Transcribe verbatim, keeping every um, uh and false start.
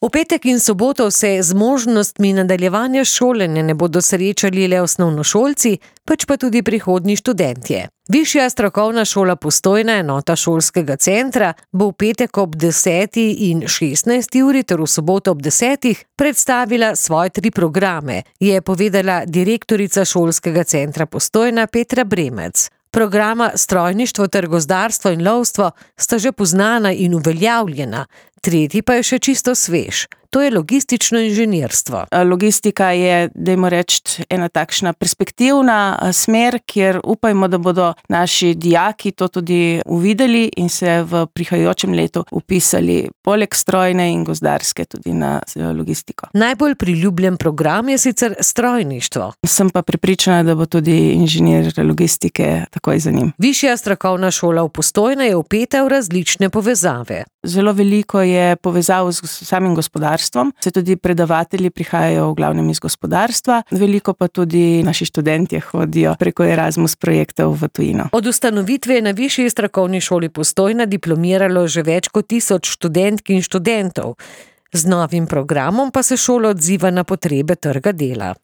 V petek in soboto se z možnostmi nadaljevanja šolanja ne bodo srečali le osnovnošolci, pač pa tudi prihodnji študentje. Višja strokovna šola Postojna, enota šolskega centra, bo v petek ob deseti in šestnajsti uri ter v soboto ob desetih predstavila svoje tri programe, je povedala direktorica šolskega centra Postojna Petra Bremec. Programa strojništvo ter gozdarstvo in lovstvo sta že poznana in uveljavljena, tretji pa je še čisto svež. To je logistično inženirstvo. Logistika je, dajmo reči, ena takšna perspektivna smer, kjer upajmo, da bodo naši dijaki to tudi uvideli in se v prihajajočem letu upisali poleg strojne in gozdarske tudi na logistiko. Najbolj priljubljen program je sicer strojništvo. Sem pa prepričana, da bo tudi inženir logistike takoj za njim. Višja strokovna šola v Postojna je vpeta v različne povezave. Zelo veliko je povezav s samim gospodarstvom, se tudi predavatelji prihajajo v glavnem iz gospodarstva, veliko pa tudi naši študentje hodijo preko Erasmus projektov v tujino. Od ustanovitve je na Višji strokovni šoli Postojna diplomiralo že več kot tisoč študentk in študentov. Z novim programom pa se šola odziva na potrebe trga dela.